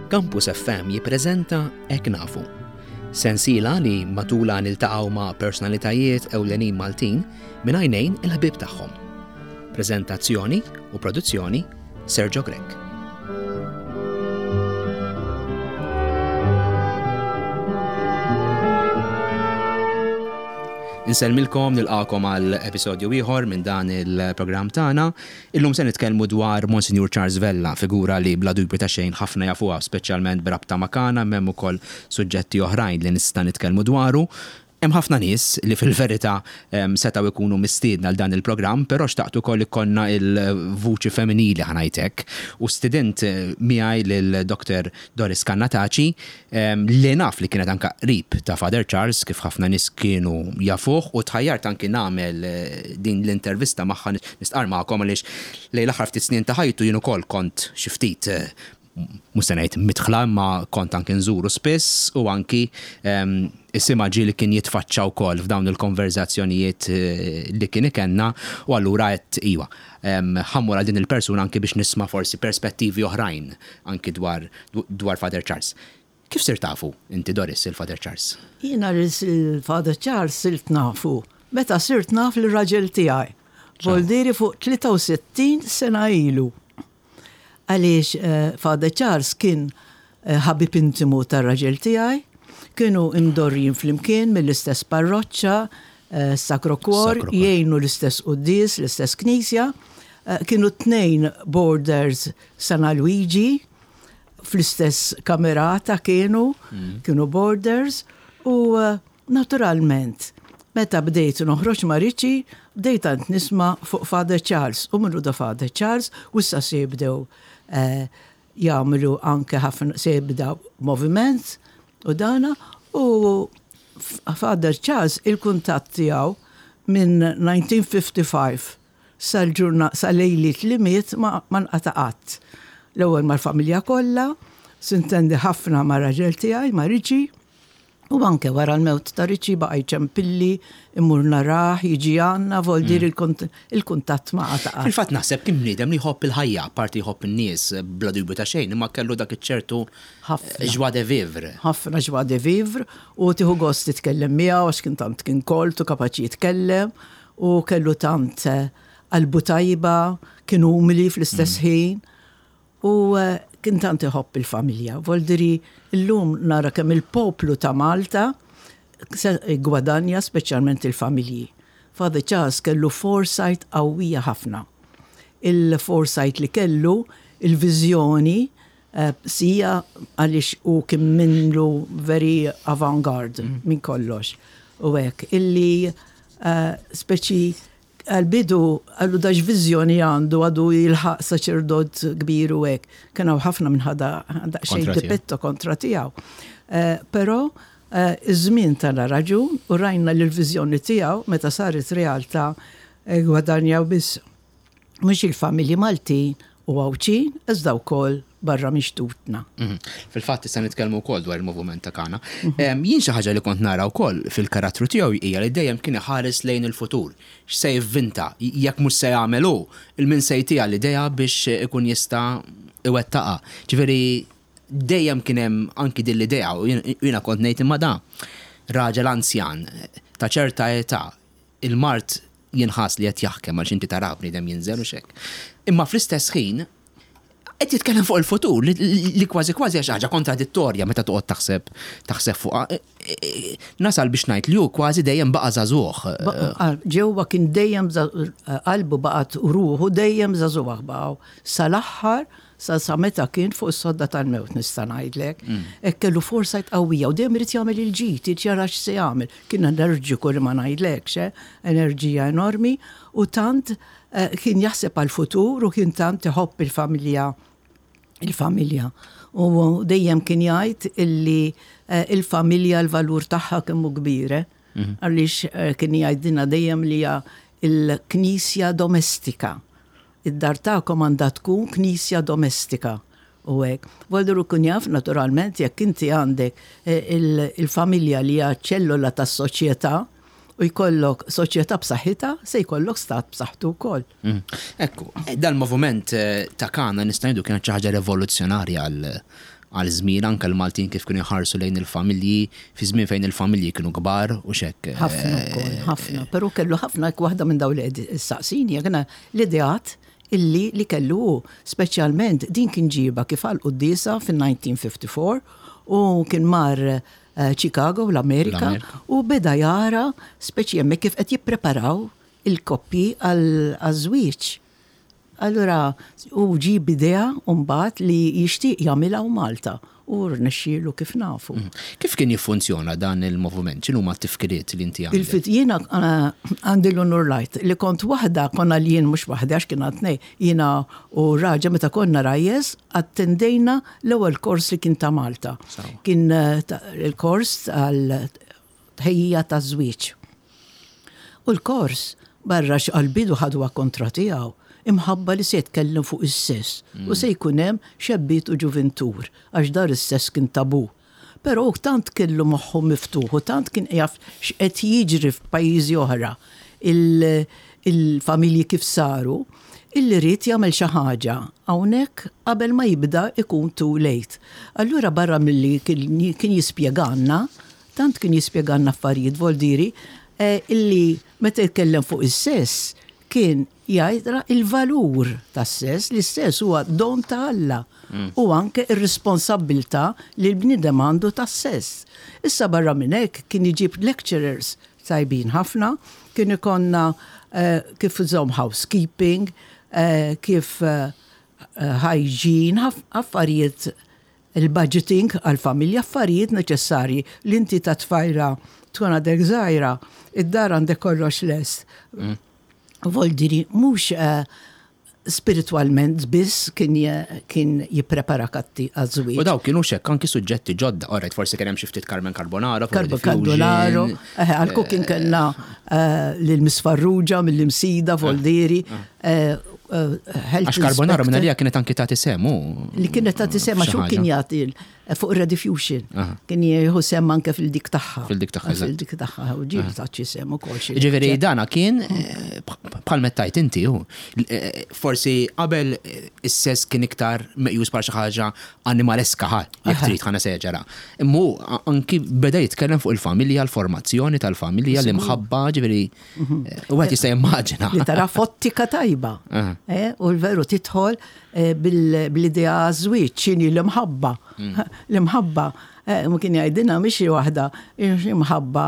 Campus FM jippreżenta Hekk Nafu. Sensiela li matulha niltaqgħu ma' personalitajiet ewlenin Maltin minn għajnejn il-ħbieb tagħhom. Preżentazzjoni u produzzjoni Sergio Grech. Insellmilkom nilqakom għal episodju ieħor minn dan il-programm tagħna. Illum se nitkellmu dwar Monsinjur Charles Vella, figura li bla dubju ta' xejn ħafna jafuha, speċjalment b'rabta ma' Kana, imma hemm ukoll suġġetti oħrajn li nista' nitkellmu dwaru. Hemm ħafna nies li fil-verità setgħu jkunu mistiedna għal dan il-programm, però xtaqt ukoll ikollna l-vuċi femminili ħa ngħid hekk u stidint miegħi lil Doctor Doris Cannataci li naf li kienet anke qrib ta' Father Charles kif ħafna nies kienu jafuh u tħajjart anki nagħmel din l-intervista magħha nistqarr magħkom għaliex lejn l-aħħar ftit snin ta' ħajtu jien ukoll kont xi ftit mhux se ngħid midħla imma kont anki nżuru spiss u anki isimha ġieli kien jitfaċċa wkoll f'dawn il-konverżazzjonijiet li kien ikenna u allura għedt iva, ħa mmur għal din il-persuna anki biex nisma' forsi perspettivi oħrajn anki dwar dwar Father Charles. Kif sirt tafu inti Doris il Father Charles? Jiena lil Father Charles sirt nafu meta sirt naf lir-raġel tiegħi. Voldieri fuq 63 sena ilu. Għaliex Father Charles kien ħabib intimu tar-raġel tiegħi, kienu imdorrijin flimkien mill-istess parroċċa, Sacro Cuor, jgħinu l-istess quddies, l-istess knisja, kienu t-tnejn boarders San Alwiġi, fl-istess kamerata kienu, kienu boarders, u Naturalment, meta bdejt noħroġ ma' Richie, bdejt għand nisma' fuq Father Charles u min hu da Father Charles u issa se jibdew jagħmlu anke ħafna se jibda moviment u dana u Father Charles il-kuntatt tiegħu minn 1955 sal-ġurna sa lejliet li miet ma nqata' qatt. L-ewwel mal-familja kollha, sintendi ħafna mar-raġel tiegħi ma' Richie, U anke wara l-mewt ta' Richie baqa' jċempilli, immur narah, jiġi għandna, voldir il-kuntatt ma qata' qatt. Fil-fatt naħseb kien bniedem li jħobb il-ħajja, apparti jħobb in-nies bla dubju ta' xejn, imma kellu dak iċ-ċertu joie de vivre. Ħafna joie de vivre u tieħu gost titkellem miegħu għax kien tant kien kolt u kapaċi jitkellem u kellu tant qalbu tajba, kien umli fl-istess ħin. U kien tant iħobb il-familja. Voldiri llum nara kemm il-poplu ta' Malta gwadanja speċjalment il-familji. Father Charles kellu foresight qawwija ħafna. Il-foresight li kellu, il-viżjoni, sija għaliex hu kien minnu very avant-garde minn kollox. U hekk illi speċi Għall-bidu qallu da x'viżjoni għandu għadu jilħaq saċerdot kbir u hekk. Kien hawn ħafna minn ħada daqsxejn dipetto kontra tiegħu. Però iż-żmien tana raġun u rajna li l-viżjoni tiegħu meta saret realtà gwadanjaw biss mhux il-familji Maltin u Għawdxin iżda wkoll barra minn xtutna. Fil-fatt issa nitkellmu wkoll dwar il-moviment ta' Kana. Jien xi ħaġa li kont nara wkoll fil-karattru tiegħu hija li dejjem kien iħares lejn il-futur. X'se jivvinta, jekk mhux se jagħmel hu, 'il min se jtiha l-idea biex ikun jista' iwettaqha. Ġifieri dejjem kien hemm anki din l-idea u jiena kont ngħid imma da raġel anzjan ta' ċerta età il-mard jinħass li qed jaħkem għaliex inti tarah bniedem jinżel u x'hekk. Imma fl-istess ħin qed jitkellem fuq il-futur li kważi kważi xi ħaġa kontradittorja meta toqgħod taħseb taħseb fuqha. Nasal biex ngħid li hu kważi dejjem baqa' żagħżugħ. Ġewwa kien dejjem qalbu baqgħet u ruħu dejjem żagħżugħ baqgħu sal-aħħar sa sa meta kien fuq is-sodda tal-mewt nista' ngħidlek. Hekk kellu foresight qawwija u dejjem irid jagħmel il-ġid, irid jara x'se jagħmel. Kien enerġiku li ma ngħidlekx, eh, enerġija enormi u tant eh, kien jaħseb għall-futur u kien tant iħobb il-familja il-familja. U dejjem kien jgħid illi eh, il-familja l-valur tagħha kemm hu kbir, eh? Mhm. Għaliex kien jgħidilna dejjem li hija il-knisja domestika. Id-dar tagħkom għandha tkun knisja domestika u hekk. Voldru jkun jaf naturalment jekk inti għandek il-familja li hija ċ-ċellola tas-soċjetà u jkollok soċjetà b'saħħitha se jkollok stat b'saħħtu wkoll. Ekku, dal-moviment ta' Kana nista' ngħidu kienet xi ħaġa rivoluzzjonarja għal għal żmien anke l-Maltin kif kienu jħarsu lejn il-familji fi żmien fejn il-familji kienu kbar u xek. Ħafna wkoll, ħafna, però kellu ħafna waħda minn dawn li qed issaqsini, jekk l-ideat illi li kellu hu, speċjalment din kien ġiba kif għal quddiesa fin-1954 u kien mar Chicago l-Amerika u beda jara speċi hemmhekk kif qed jippreparaw il-koppji għaż-żwieġ. Allura hu ġie b'idea mbagħad li jixtieq jagħmilha hawn Malta u rnexxielu kif nafu. Kif kien jiffunzjona dan il-moviment? X'inhuma t-tifkiriet li inti għandek? Jiena għandi l-unur ngħid li kont waħda, konna li jien mhux waħdi għax kien għad tnejn, jiena u raġel meta konna rajjes attendejna l-ewwel kors li kien ta' Malta. Kien il-kors għal tħejjija taż-żwieġ. U l-kors, barra għall-bidu ħaduha kontra tiegħu, imħabba li se jitkellem fuq is-sess u se jkun hemm xebbiet u ġuvintur, għax dar is-sess kien tabù. Però hu tant kellu moħħu miftuħ u tant kien jaf x'qed jiġri f'pajjiżi oħra, il-familji kif saru, illi ried jagħmel xi ħaġa hawnhekk qabel ma jibda jkun too late. Allura barra milli kien jispjegalna, Tant kien jispjegalna affarijiet Voldieri illi meta jitkellem fuq is-sess kien jgħidra il-valur tas-sess, li s-sess huwa don ta' Alla u anke r-responsabbiltà li l-bniedem għandu tas-sess. Issa barra minn hekk kien iġib lecturers tajbin ħafna, kien ikollna kif iżomm housekeeping, kif hygiene, affarijiet Il-budgeting għall-familja affarijiet neċessarji li inti ta' tfajla tkun għadek żgħira, id-dar għandek kollox lest. Voldiri mhux spiritwalment biss kien kien jippreparak għaż-żwieġ. U daw kienu xekk anki suġġetti ġodda, alright forsi kien hemm xi ftit Carmen Carbonaro, Carmen Carbonaro, għall-cooking kellna lil Miss Farrugia mill-Imsida, Voldieri, Għax Carbonaro minn għalija kienet anki tagħti sem u. Li kienet tagħti sem għax hu kien jagħti fuq Rediffusion. Kien jieħu sem anke fil-dik tagħha. Fil-dik tagħha. Fil-dik tagħha u ġieli tagħti sem ukoll xi. Ġifieri dana kien eh, bħal mettajt inti hu. Eh, forsi qabel eh, is-sess kien iktar meqjus bħal xi ħaġa animaleska ħa, jekk trid ħana seġera. Imma anki beda jitkellem fuq il-familja, l-formazzjoni tal-familja, l-imħabba, ġifieri U għet jista' jimmaġina. Li tara fottika tajba. Eh, u l-veru titħol eh, bil-idea żwieġ x'inhi l-imħabba. Mm. L-imħabba eh, ma kien jgħidilna mhix waħda imħabba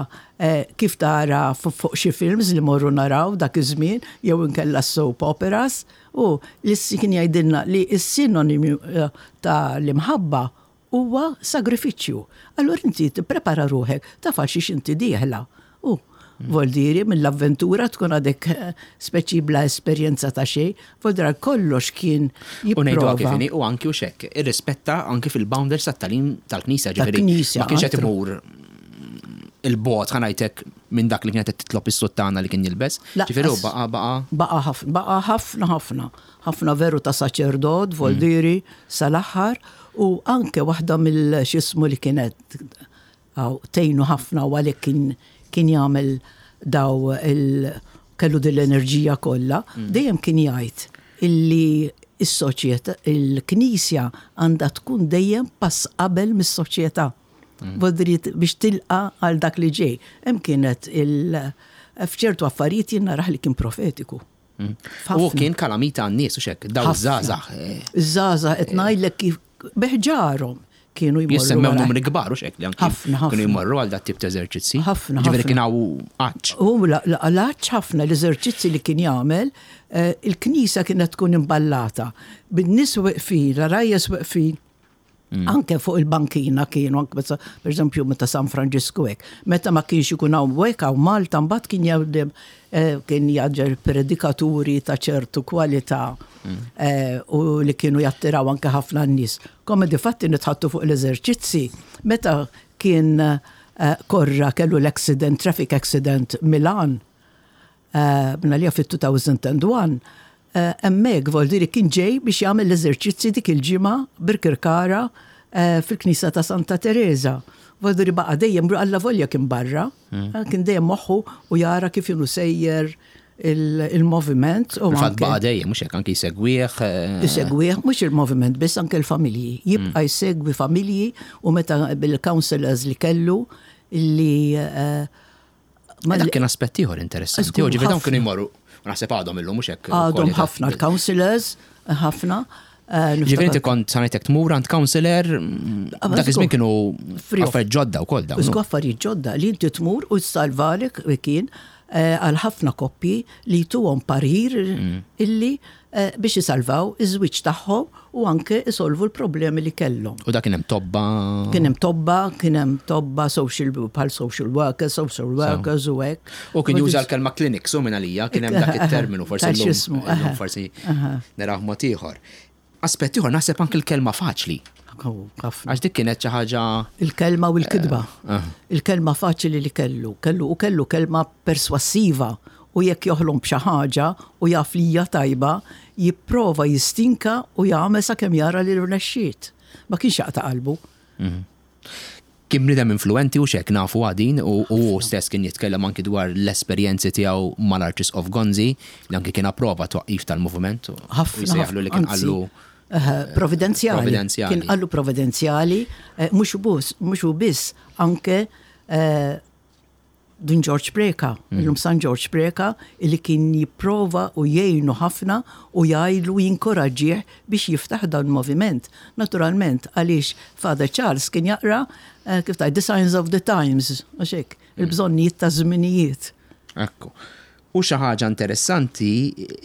kif tara fuq xi films li morru naraw dak iż-żmien jew inkella soap operas u li kien jgħidilna li s-sinonimi ta' l-imħabba Huwa sagrifiċċju. Allura inti tipprepara ruħek, taf għal xiex inti dieħla. U voldieri mill-avventura tkun għadek eh, speċi bla esperjenza ta' xejn, voldira kollox kien jipprova. U ngħidu kif inhi u anki u xekk, irrispetta anki fil-boundaries tat-tagħlim tal-Knisja, ġifieri ma kienx qed imur il-bot ħanajtek minn dak li kienet qed titlob is-suttana li kien jilbes. Ġifieri baqa' baqa' baqa' ħafna, baqa' ħafna ħafna. Ħafna veru ta' saċerdot, voldieri, sal-aħħar, u anke waħda mill-x'ismu li kienet tgħinu ħafna u għalhekk kien kien jagħmel daw il kellu din l-enerġija kollha, dejjem kien jgħid illi s-soċjetà, il-Knisja għandha tkun dejjem pass qabel mis-soċjetà. Voldiri biex tilqa' għal dak li ġej. Hemm kienet il f'ċertu affarijiet jien narah li kien profetiku. Mm. U kien kalamita għan-nies u xek, daw żgħażagħ. Żgħażagħ qed ngħidlek kif beħġarhom kienu jmorru. Jissemmew numri kbar u xek li anki. Ħafna, Kienu jmorru għal dat tip ta' eżerċizzi. Ħafna. Ġifieri kien hawn għatx. U l-għatx ħafna l-eżerċizzi li kien jagħmel, eh, il-knisja kienet tkun imballata. Bin-nies weqfin, rajjes weqfin Mm. Anke fuq il-bankina kienu, anke meta, per eżempju, meta San Franġisku hekk. Meta ma kienx ikun hawn hekk hawn Malta mbagħad kien jgħaddem eh, kien jaġġel predikaturi ta' ċertu kwalità mm. eh, u li kienu jattiraw anke ħafna n-nies. Come di fatti nitħattu fuq l-eżerċizzi, meta kien eh, korra kellu l-accident, traffic accident Milan, Bnalija fit-2001, hemmhekk Voldiri kien ġej biex jagħmel l-eżerċizzi dik il-ġimgħa Birkirkara fil-Knisja ta' Santa Tereża. Voldiri baqa' dejjem allavolja kien barra, kien dejjem moħħu u jara kif inhu sejjer il-moviment. U Fatt baqa' dejjem, mhux hekk anki jsegwih. Jsegwih, mhux il-moviment biss anke l-familji. Jibqa' jsegwi familji u meta bil-counselors li kellu li Ma dak kien aspett ieħor interessanti. U ġifieri dawn kienu jmorru, naħseb għadhom illum mhux hekk. Għadhom ħafna l-counselors, ħafna. Ġifieri inti kont sanajtek tmur għand counselor, dak iż-żmien kienu affarijiet ġodda wkoll dawn. Żgur affarijiet ġodda li inti tmur u salvalek kien għal ħafna koppji li jtuhom parir illi biex isalvaw iż-żwieġ tagħhom u anke isolvu l-problemi li kellhom. U dak kien hemm tobba? Kien hemm tobba, kien hemm tobba social bħal social workers, social workers u hekk. U kien juża l-kelma clinics u minn għalija kien hemm dak it-terminu forsi llum forsi naraw mod ieħor. Aspett ieħor naħseb anke l-kelma faċli. Għax dik kienet xi ħaġa. Il-kelma u l-kitba. Il-kelma faċli li kellu. Kellu u kellu kelma perswassiva u jekk joħlom b'xi ħaġa u jaf li hija tajba, jipprova jistinka u jagħmel sakemm jara li rnexxiet. Ma kienx jaqta' qalbu. Kien bniedem influwenti hux hekk nafu din u hu stess kien jitkellem anki dwar l-esperjenzi tiegħu mal-Arċisqof Gonzi li anki kien approva t-twaqqif tal-moviment u jsejjaħlu li kien qallu Providenzjali. Providenzjali. Kien qallu providenzjali, mhux hu biss, anke Dun Ġorġ Preca, illum San Ġorġ Preca, illi kien jipprova u jgħinu ħafna u jgħidlu jinkoraġġih biex jiftaħ dan il-moviment. Naturalment, għaliex Father Charles kien jaqra, kif tgħid, the signs of the times, għax hekk, il-bżonnijiet taż-żminijiet. Ekku. U xi ħaġa interessanti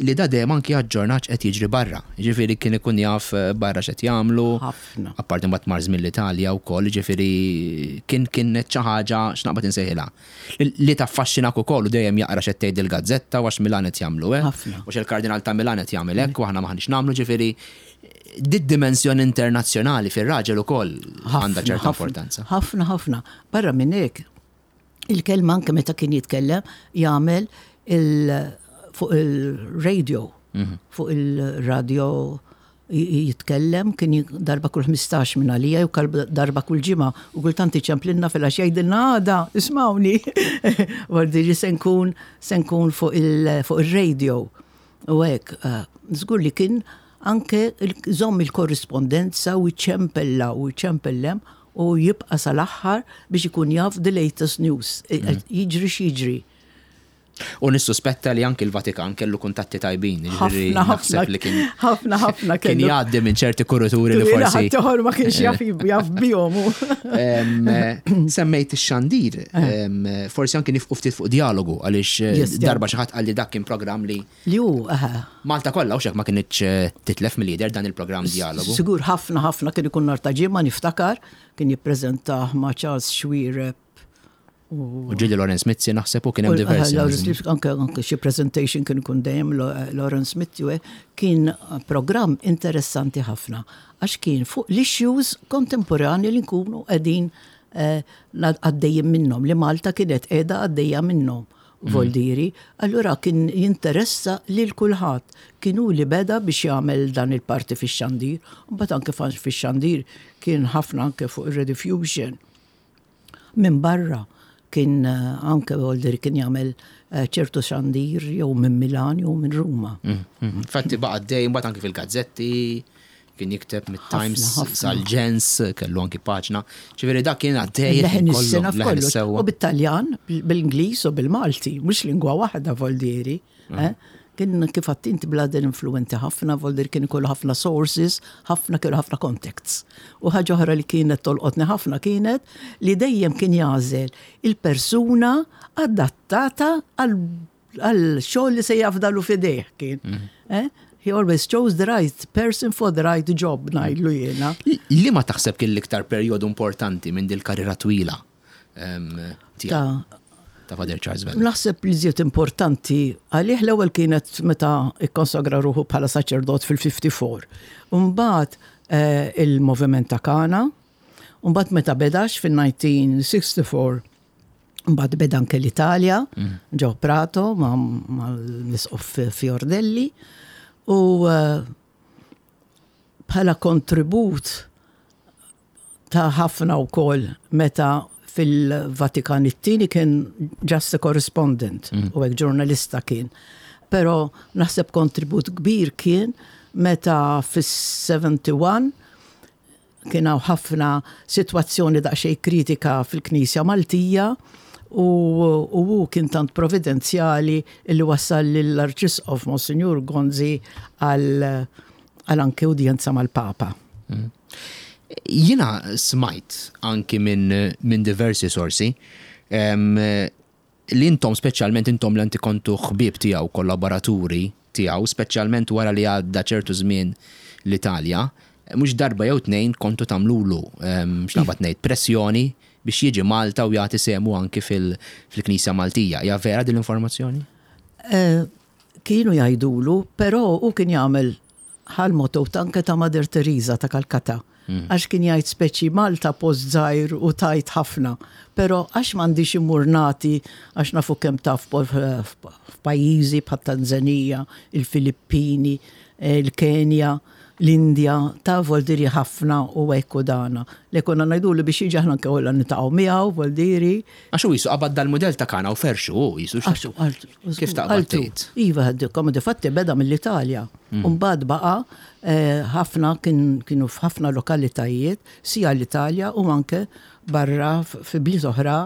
li da dejjem anki aġġornat x'qed jiġri barra. Jiġifieri kien ikun jaf barra x'qed jagħmlu. Ħafna. Apparti mbagħad mar żmien l-Italja wkoll, jiġifieri kien kienet xi ħaġa x'naqbad insejħilha. Li taffaxxinak ukoll u dejjem jaqra x'qed tgħid il-gazzetta u għax Milan qed jagħmlu hekk. Ħafna. U għax il-Kardinal ta' Milan qed jagħmel hekk u aħna m'aħniex nagħmlu, ġifieri did-dimensjoni internazzjonali fir-raġel ukoll għandha ċerta importanza. Ħafna, ħafna. Barra minn hekk, Il-kelma anke meta kien jitkellem jagħmel il fuq il-radio, fuq il-radio jitkellem kien darba kull 15 minn għalija jew darba kull ġimgħa u kultant iċemplinna fil-għax jgħidilna għada ismawni. Vordi li se nkun se nkun fuq il-radio. U hekk, żgur li kien anke żomm il-korrispondenza u jċempella u jċempellem u jibqa' sal-aħħar biex ikun jaf the latest news, jiġri x'jiġri. U nissuspetta li anki l-Vatikan kellu kuntatti tajbin, jiġifieri naħseb li kien. Ħafna, ħafna kellu. Kien jgħaddi minn ċerti kurituri li forsi. Ħadd ma kienx jaf jaf bihom. Semmejt ix-xandir, forsi anki nifqu ftit fuq djalogu għaliex darba xi ħadd qalli dak kien programm li Li hu, eħe. Malta kollha hux hekk ma kinitx titlef mill-jidher dan il-programm Djalogu. Sigur ħafna ħafna kien ikun nhar ta' Ġimgħa niftakar, kien jippreżentah ma' Charles Xuereb u. U ġieli Lawrence Mizzi naħseb u kien hemm diversi. Lawrence Mizzi anke anke xi presentation kien ikun dejjem Lawrence Mizzi u hekk. Kien programm interessanti ħafna għax kien fuq l-issues kontemporani li nkunu qegħdin għaddejjin minnhom, li Malta kienet qiegħda għaddejja minnhom. Voldieri, allura kien jinteressa lil kulħadd. Kien hu li beda biex jagħmel dan il-parti fix-xandir, u mbagħad anke fix-xandir kien ħafna anke fuq ir-Rediffusion. Minn barra kien anke Voldieri kien jagħmel ċertu xandir jew minn Milan jew minn Ruma. Infatti baqa' għaddej mbagħad anke fil-gazzetti. Kien jikteb mit-Times sal-Ġens, kellu anki paġna. Ġifieri dak kien għaddej. Leħen is-sena f'kollox. U bit-Taljan, bil-Ingliż u bil-Malti, mhux lingwa waħda Voldieri. Eh? Kien kif għadt inti bladel influenti ħafna, Voldieri kien ikollu ħafna sources, ħafna kellu ħafna contacts. U ħaġa oħra li kienet tolqotni ħafna kienet li dejjem kien jagħżel il-persuna adattata għal għal xogħol li se jafdalu f'idejh kien. Eh? He always chose the right person for the right job, ngħidlu jiena. Li ma taħseb kien l-iktar perjodu importanti minn dil-karriera twila tiegħek? Ta' Father Charles Vella. Naħseb li żied importanti għalih l-ewwel kienet meta ikkonsagra ruħu bħala saċerdot fil-54. Mbagħad eh, il-moviment ta' Kana, mbagħad meta bedax fil-1964 Mbagħad beda anke l-Italja, ġew Prato mal-Isqof Fiordelli u eh, bħala kontribut ta' ħafna wkoll meta fil-Vatikan it-tieni kien just a correspondent u hekk ġurnalista kien. Però naħseb kontribut kbir kien meta fis-71 kien hawn ħafna sitwazzjoni daqsxejn kritika fil-Knisja Maltija u hu kien tant providenzjali li wassal lill-Arċisqof Monsinjur Gonzi għal anke udjenza mal-Papa. Jiena smajt anki minn diversi sorsi li intom speċjalment intom li anti kontu ħbieb tiegħu, kollaboraturi tiegħu, speċjalment wara li għadda ċertu żmien l-Italja, mhux darba jew tnejn kontu tagħmlulu, x'naqbad ngħid, pressjoni biex jiġi Malta u jagħti sehmu anki fil-Knisja Maltija. Hija vera din l-informazzjoni? Kienu jgħidulu, però hu kien jagħmel ħal-motto anke ta' Mother Teresa ta' Calcutta. Għax kien jgħid speċi Malta post żgħir u tajt ħafna, però għax m'għandix immur nagħti għax nafu kemm taf f'pajjiżi bħat Tanzanija, il-Filippini, il-Kenja, l-Indja, ta' voldiri ħafna u hekk u dana. Li konna ngħidulu biex jiġi aħna anke kollha niltaqgħu miegħu voldiri. Għax hu qisu qabad dal-mudell ta' Kana u ferxu hu qisu. Għax hu qaltu. Kif taqbad tgħid? Iva, come difatti beda mill-Italja. U mbagħad baqa' ħafna kienu f'ħafna lokalitajiet, sija l-Italja u anke barra fi bliet oħra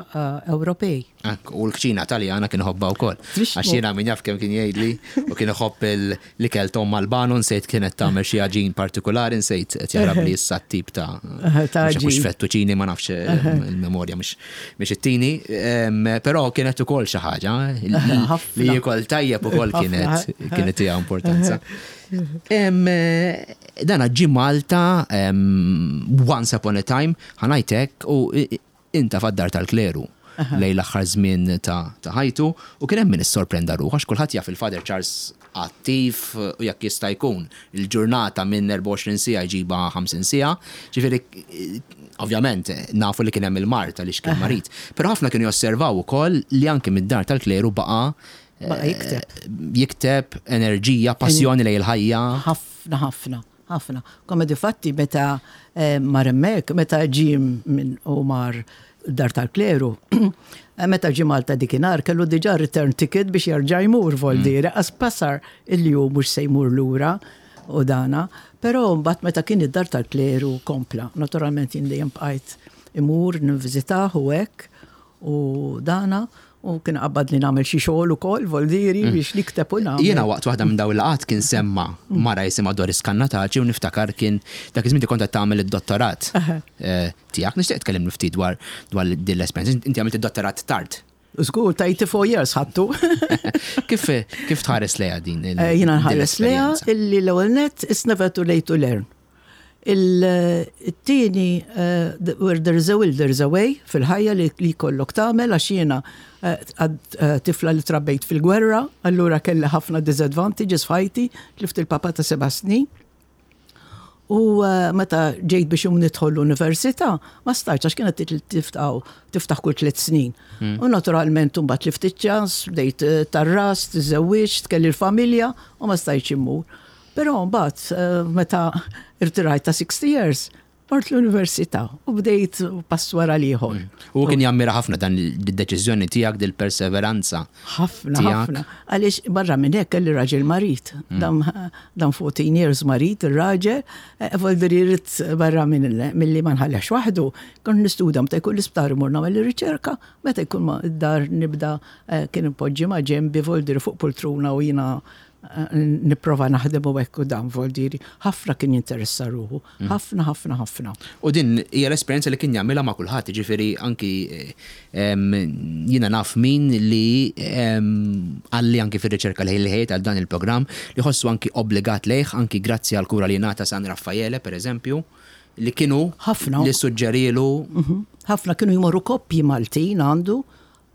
Ewropej. Ekk, u l-kċina Taljana kien iħobbha wkoll. Għax jiena min jaf kemm kien jgħidli u kien iħobb l-ikel t'omm Albano nsejt kienet tagħmel xi għaġin partikulari nsejt qed jaħrabli issa t-tip ta' għaġin. Mhux fettuċini ma nafx il-memorja mhix ittini, però kienet ukoll xi ħaġa li jiekol tajjeb ukoll kienet kienet hija importanza. Dana ġie Malta once upon a time, ħa ngħid hekk, u inta fad-dar tal-kleru lejn l-aħħar żmien ta' ħajtu u kien hemm min issorprenda ruħu għax kulħadd jaf il-Father Charles attiv u jekk jista' jkun il-ġurnata minn 24 siegħa jġibha 50 siegħa. Ġifieri ovvjament nafu li kien hemm il-mard għaliex kien marid. Però ħafna kienu josservaw ukoll li anke mid-dar tal-kleru baqa' Baqa' jikteb. Jikteb, enerġija, passjoni lejn il-ħajja. Ħafna ħafna. Ħafna. Come difatti meta mar hemmhekk, meta ġie minn u mar dar tal-kleru, meta ġie Malta dikinhar kellu diġà return ticket biex jerġa' jmur voldiri, qas pasar illi hu mhux se jmur lura u dana. Però mbagħad meta kien id-dar tal-kleru kompla. Naturalment jien dejjem bqajt imur nivviżitah u hekk u dana u kien qabad li nagħmel xi xogħol ukoll voldiri biex nikteb u nagħmel. Jiena waqt waħda minn dawn il-laqgħat kien semma mara jisimha Doris Cannataci u niftakar kien dak iż-żmien kont qed tagħmel id-dottorat tiegħek. Nixtieq tkellimni ftit dwar dwar din l-esperjenza. Inti għamilt id-dottorat tard. Żgur, ta' 84 years ħadtu. Kif kif tħares lejha din il- Jiena nħares lejha illi l-ewwel nett it's never too late to learn. Il-tieni, where there is a will there is a way fil-ħajja li jkollok tagħmel għax jiena tifla li trabbejt fil-gwerra, allura kelli ħafna disadvantages f'ħajti, tlift il-papa ta' seba' snin. U meta ġejt biex nidħol l-università, ma stajtx għax kienet tiftaħ kull tliet snin. U naturalment imbagħad tlift iċ-ċans, bdejt tarras, tiżżewwiġt, kelli l-familja u ma stajtx immur. Però mbagħad meta irtirajt ta' 60 years, mort l-università u bdejt pass wara l-ieħor. U kien jammira ħafna dan id-deċiżjoni tiegħek dil-perseveranza. Ħafna, ħafna. Għaliex barra minn hekk kelli raġel marid. Dam 14 years marid ir-raġel, voldiri jrid barra milli ma nħallihx waħdu. Kont nistudja meta jkun l-isptar imur nagħmel ir-riċerka, meta jkun id-dar nibda kien impoġġi ma' ġenbi voldiri fuq poltruna u jiena nipprova naħdem u hekk u dan voldiri. Ħafna kien jinteressa ruħu. Ħafna, ħafna, ħafna. U din hija l-esperjenza li kien jagħmilha ma' kulħadd, jiġifieri anki jiena naf min li qalli anki fir-riċerka li ħejjejt għal dan il-programm li ħossu anki obbligat lejh anki grazzi għall-kura li ngħata San Raffaele pereżempju li kienu ħafna li suġġerielu. Ħafna kienu jmorru koppji Maltin għandu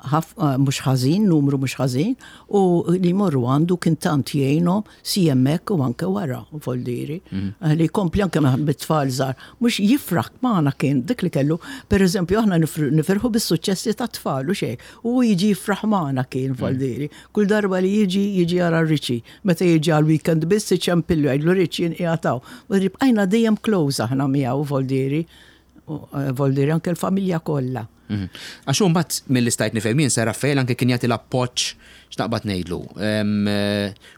mhux ħażin, numru mhux ħażin, u li jmorru għandu kien tant jgħinhom si hemmhekk u anke wara, voldiri. Li jkompli anke bit-tfal żgħar, mhux jifraħ magħna kien dik li kellu, pereżempju aħna nifirħu bis-suċċessi tat-tfal u xejn, u jiġi jifraħ magħna kien voldiri. Kull darba li jiġi, jiġi jara Richie. Meta jiġi għal weekend biss iċempillu jgħidlu Richie jien qiegħed hawn. Bqajna dejjem close aħna miegħu voldiri. Eh, Voldiri anke l-familja kollha. Mhm. Għax hu mbagħad milli stajt nifhem jien Sir Raffaele anke kien jagħti l-appoġġ x'naqbad ngħidlu. Eh,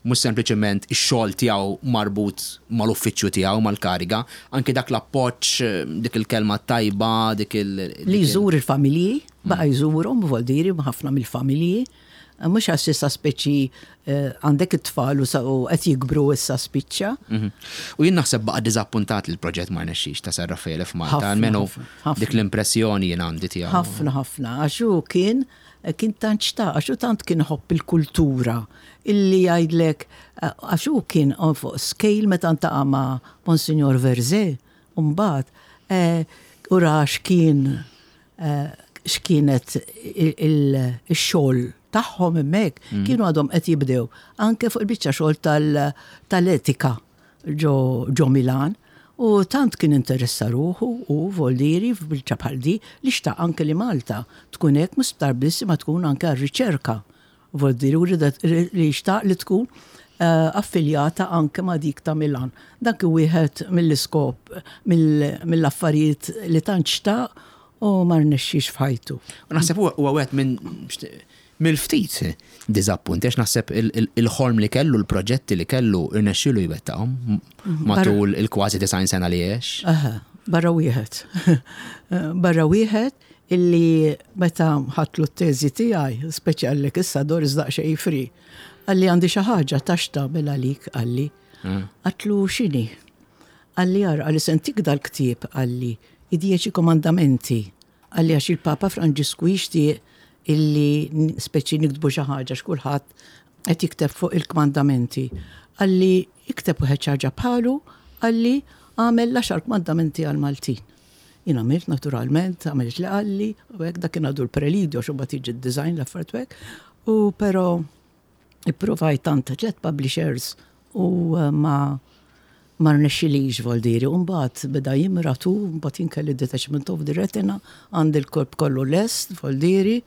mhux sempliċement ix-xogħol tiegħu marbut mal-uffiċċju tiegħu mal-kariga, anke dak l-appoġġ, eh, dik il-kelma tajba, dik il- Li jżur il-familji, baqa' jżurhom, voldiri ħafna mill-familji. Mhux għax issa speċi eh, għandek it-tfal u qed jikbru issa spiċċa. Mhm. U jien naħseb baqa' diżappuntat li l-proġett ma rnexxix ta' San Raffaele f'Malta, almenu dik l-impressjoni jien għandi tiegħu. Ħafna ħafna, għax hu kien kien tant xtaq, għax hu tant kien ħobb il-kultura illi jgħidlek eh, għax hu kien fuq scale meta ntaqa' ma' Monsignor Verze, mbagħad eh, u ra x'kien x'kienet ix-xogħol tagħhom hemmhekk, mm. kienu għadhom qed jibdew anke fuq il-biċċa xogħol tal-etika ġo Milan. U tant kien interessa ruħu u voldiri f'biċċa bħal di li xtaq anke li Malta tkun hekk mhux sptar biss ma tkun anke għar-riċerka. Vuol dire u li xtaq li tkun eh, affiljata anke ma' dik ta' Milan. Dak wieħed mill-iskop mill-affarijiet li tant xtaq u ma rnexxix f'ħajtu. U naħseb huwa wieħed minn mill-ftit diżappunt, għax naħseb il-ħolm li kellu, l-proġetti li kellu, irnexxielu jwettaqhom mhm. matul il-kważi design sena li għex. Barra wieħed. Barra wieħed illi meta ħadtlu t-teżi tiegħi, speċi għallek issa Doris daqsxejn free, qalli għandi xi ħaġa tax tagħmel għalik qalli. Mm. Għatlu x'inhi? Qalli ara qalli se ntik dal-ktieb qalli id-dieċi komandamenti qalli għax il-Papa Franġisku jixtieq illi speċi niktbu xi ħaġa x'kulħadd qed jikteb fuq il-kmandamenti. Qalli ikteb wieħed xi ħaġa bħalu, qalli għamel l-għaxar kmandamenti għall-Maltin. Jien għamilt naturalment, għamilt li qalli, u hekk dak kien għadu l-prelidio xi mbagħad jiġi d-design l-affarijiet u hekk. U però ippruvajt tant tliet publishers u eh, ma ma rnexxilix voldiri. U mbagħad beda jimratu, mbagħad jien kelli detachment of the retina, għandi l-korp kollu lest, voldiri,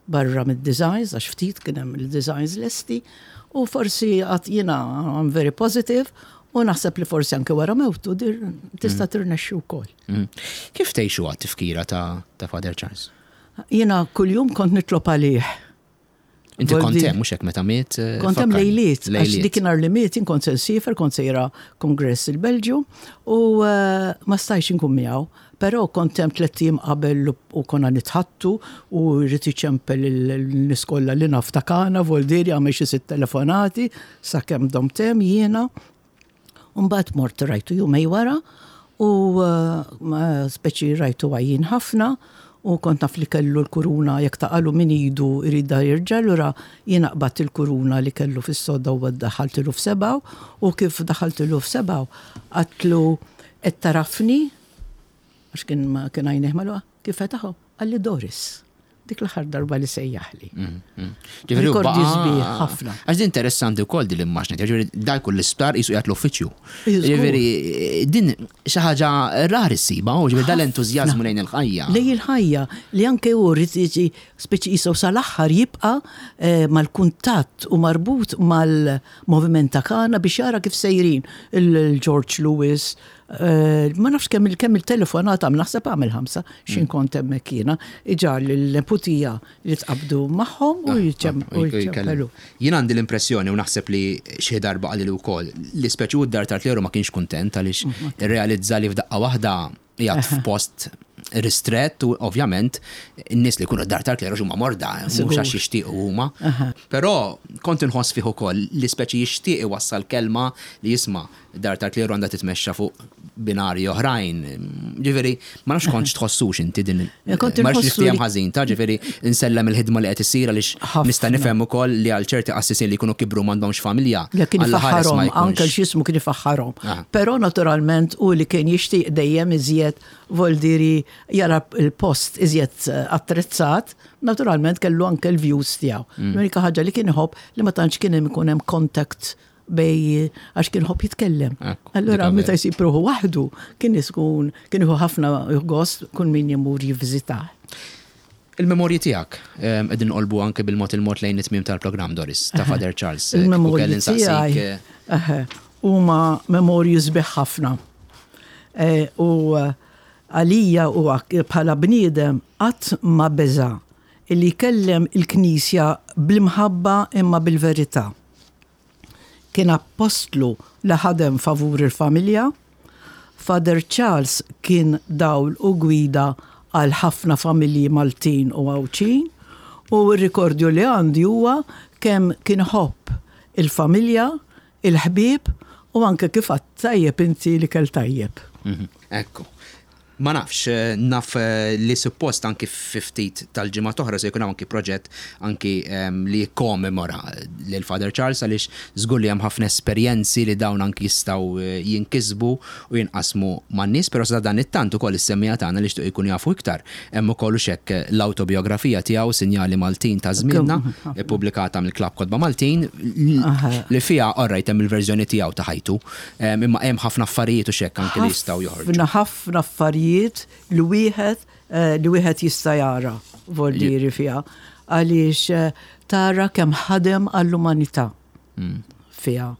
barra mid-designs, għax ftit kien hemm il-designs lesti, u forsi għad jiena I'm very positive, u naħseb li forsi anke wara mewtu tista' mm. tirnexxi wkoll. Mm. Kif tgħixu għat tifkira ta' Father Charles? Jiena kuljum kont nitlob għalih. Inti kont hemm mhux hekk meta miet? Eh, kont hemm lejliet, għax dik nhar li miet jien kont se nsifer, kont sejra kongress il-Belġju u eh, ma stajx inkun miegħu. Però kont hemm tlett ijiem qabel u konna nitħaddtu u jrid iċempel lin-nies kollha li naf ta' Kana, Voldieri għamel xi sitt telefonati sakemm domt hemm jiena. U mbagħad mort rajtu jumej wara u eh, speċi rajtu għajjien ħafna u kont naf li kellu l-kuruna jekk taqalu min idu jridha jirġa' allura jiena qbadt il-kuruna li kellu fis-sodda u daħħaltilu f'sebgħu u kif daħħaltilu f'sebgħu għadtlu Qed tagħrafni? Għax kien ma kien għajnejh magħluqa. Kif fetaħhom? Qalli Doris. Dik l-aħħar darba li sejjaħli. Mm, mm. Ġifieri Rikordi sbieħ ħafna. Għax din interessanti wkoll din l-immaġni, ġifieri da jkun l-isptar qisu qiegħed l-uffiċċju. Ġifieri din xi ħaġa rari ssiba, u ġifieri dal-entużjażmu lejn il-ħajja. Lejn il-ħajja li anke hu rrid jiġi speċi qisu sal-aħħar jibqa' eh, mal-kuntatt u marbut mal- Moviment ta' Kana biex jara kif sejrin il-George Lewis, eh, ma nafx kemm kemm il-telefonat għam naħseb għamel ħamsa xin mm. kont hemmhekk jiena iġar lill-neputija li tqabdu magħhom u ah, ah, jiċċempelu. Jien għandi l-impressjoni u naħseb li xi darba qalli wkoll li speċi u d-dar tal-kleru ma kienx kuntent għaliex mm, irrealizza li f'daqqa waħda qiegħed f'post ristrett u ovvjament in-nies li jkunu d-dar tal-kleru huma morda, mhux għax jixtiequ huma. Però kont inħoss fih ukoll li speċi jixtieq iwassal kelma li jisma' dar tal-kleru għandha titmexxa fuq binarji oħrajn. Ġifieri, ma nafx kontx tħossux inti din. Ma nafx niftiehem ħażin ta' ġifieri nsellem il-ħidma li qed issir għaliex nista' nifhem ukoll li għal ċerti qassisin li jkunu kibru m'għandhomx familja. Kien ifaħħarhom, anke x'jismu kien ifaħħarhom. Però naturalment hu li kien jixtieq dejjem iżjed voldiri jara l-post iżjed eh, attrezzat, naturalment kellu anke l-views tiegħu. Mm. L-unika ħaġa li kien iħobb li ma tantx kien hemm ikun hemm contact bej għax kien ħobb jitkellem. Allura meta jsib ruħu waħdu kien iskun kien iħu ħafna gost kull min jimur jivviżitah. Il-memorji tiegħek, qegħdin nqolbu anke bil-mod il-mod lejn it-tmiem tal-programm, Doris, ta' Father Charles. Il-memorji tiegħi eh, huma memorji sbieħ ħafna. Eh, u eh, Għalija huwa bħala bniedem qatt ma beża' illi jkellem il-Knisja bl-imħabba imma bil-verità. Kien appostlu li ħadem favur il-familja. Father Charles kien dawl u gwida għal ħafna familji Maltin u Għawdxin u r-rikordju li għandi huwa kemm kien iħobb il-familja, il-ħbieb u anke kif għedt tajjeb inti l-ikel tajjeb. Ekku. Ma nafx, naf li suppost anki fi ftit tal-ġimgħat oħra se jkun hawn anki proġett anki li jikkomemora lil Father Charles għaliex żgur li hemm ħafna esperjenzi li dawn anki jistgħu jinkisbu u jinqasmu man-nies, però sa dan it-tant ukoll is-semmiegħa tagħna li jixtiequ jkunu jafu iktar hemm ukoll hux hekk l-awtobijografija tiegħu Sinjali Maltin ta' Żmienna ippubblikata mill-Klabb Kotba Maltin li fiha all right hemm il-verżjoni tiegħu ta' ħajtu Imma hemm ħafna affarijiet u xekk anki li jistgħu joħorġu. Ħafna ħafna affarijiet li wieħed eh, li wieħed jista' jara voldieri fiha għaliex eh, tara kemm ħadem għall-umanità hmm. fiha.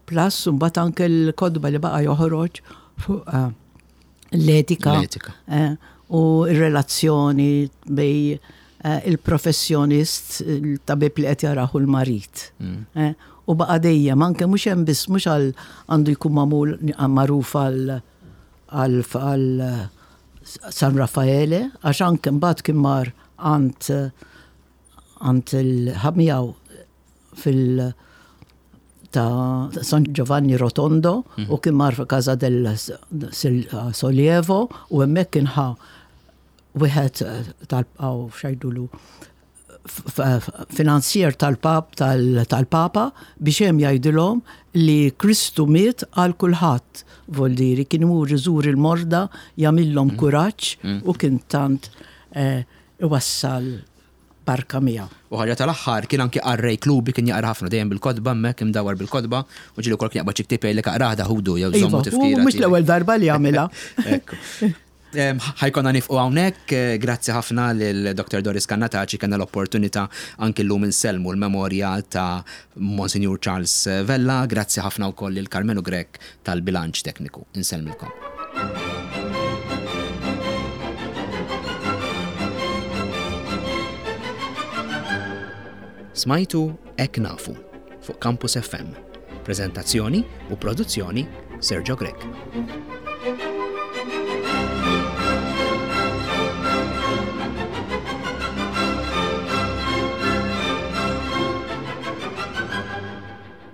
Plus mbagħad anke l-kodba li baqa' joħroġ fuq eh, l-etika u r-relazzjoni bej eh, il-professjonist, il-tabib li qed jarahu l-marid. Mm. Eh, u baqa' dejjem anke mhux hemm biss mhux għal għandu jkun magħmul magħruf għal għal San Raffaele, għax anke mbagħad kien mar għand għand il-ħamijaw fil- ta' San Giovanni Rotondo mhm. u kien mar Casa del Sollievo u hemmhekk kien ħa wieħed eh, tal-aw xajdulu finanzjer tal-pap tal-papa biex hemm jgħidilhom li Kristu miet għal kulħadd voldiri kien imur iżur il-morda jagħmilhom mhm. kuraġġ mhm. u kien tant eh, iwassal barka miegħu. U ħaġa tal-aħħar, kien anki qarrej klubi, kien jaqra ħafna, dejjem bil-kotba hemmhekk, imdawwar bil-kotba, u ġieli wkoll kien jaqbad xi ktieb jgħidlek aqrah da ħudu jew żommu tifkira. Iva, u mhux l-ewwel darba li għamilha. Ekku. Ħa jkollna nifqu hawnhekk, grazzi ħafna lil Dr. Doris Cannataci kellna l-opportunità anki llum insellmu l-memorja ta' Monsinjur Charles Vella, grazzi ħafna wkoll lil Karmenu Grech tal-bilanċ tekniku. Insellmilkom. Smajtu Hekk Nafu fuq Campus FM. Preżentazzjoni u produzzjoni Sergio Grech.